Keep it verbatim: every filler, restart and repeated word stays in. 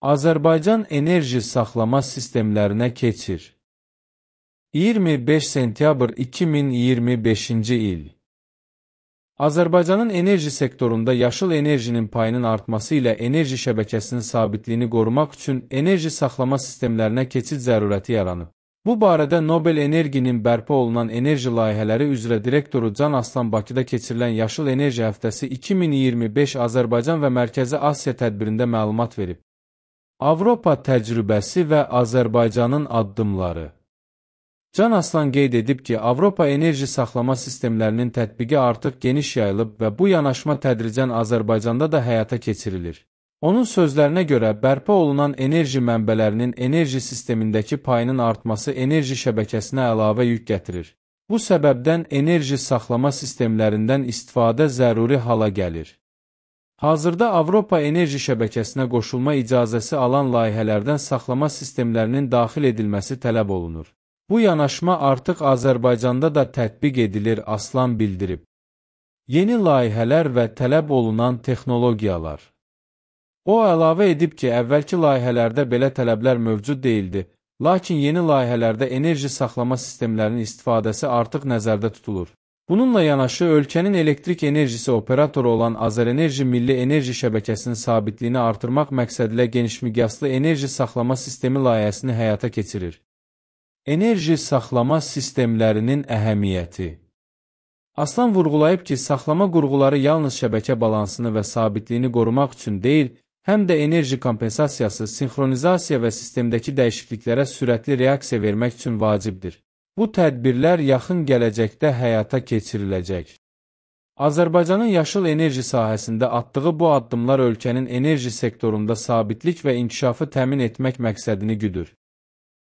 Azərbaycan enerji saxlama sistemlərinə keçir. iyirmi beş sentyabr iki min iyirmi beşinci il. Azərbaycanın enerji sektorunda yaşıl enerjinin payının artması ilə enerji şəbəkəsinin sabitliyini qorumaq üçün enerji saxlama sistemlərinə keçid zərurəti yaranıb. Bu barədə Nobel Energinin bərpa olunan enerji layihələri üzrə direktoru Can Aslan Bakıda keçirilən Yaşıl Enerji Həftəsi iki min iyirmi beş Azərbaycan və Mərkəzi Asiya tədbirində məlumat verib. Avropa təcrübəsi və Azərbaycanın addımları. Can Aslan qeyd edib ki, Avropa enerji saxlama sistemlərinin tətbiqi artıq geniş yayılıb və bu yanaşma tədricən Azərbaycanda da həyata keçirilir. Onun sözlərinə görə, bərpa olunan enerji mənbələrinin enerji sistemindəki payının artması enerji şəbəkəsinə əlavə yük gətirir. Bu səbəbdən enerji saxlama sistemlərindən istifadə zəruri hala gəlir. Hazırda Avropa enerji şəbəkəsinə qoşulma icazəsi alan layihələrdən saxlama sistemlərinin daxil edilməsi tələb olunur. Bu yanaşma artıq Azərbaycanda da tətbiq edilir, Aslan bildirib. Yeni layihələr və tələb olunan texnologiyalar. O əlavə edib ki, əvvəlki layihələrdə belə tələblər mövcud deyildi, lakin yeni layihələrdə enerji saxlama sistemlərinin istifadəsi artıq nəzərdə tutulur. Bununla yanaşı, ölkənin elektrik enerjisi operatoru olan Azərenerji Milli Enerji Şəbəkəsinin sabitliyini artırmaq məqsədilə genişmiqyaslı enerji saxlama sistemi layihəsini həyata keçirir. Enerji saxlama sistemlərinin əhəmiyyəti. Aslan vurğulayıb ki, saxlama qurğuları yalnız şəbəkə balansını və sabitliyini qorumaq üçün deyil, həm də enerji kompensasiyası, sinxronizasiya və sistemdəki dəyişikliklərə sürətli reaksiya vermək üçün vacibdir. Bu tədbirlər yaxın gələcəkdə həyata keçiriləcək. Azərbaycanın yaşıl enerji sahəsində atdığı bu addımlar ölkənin enerji sektorunda sabitlik və inkişafı təmin etmək məqsədini güdür.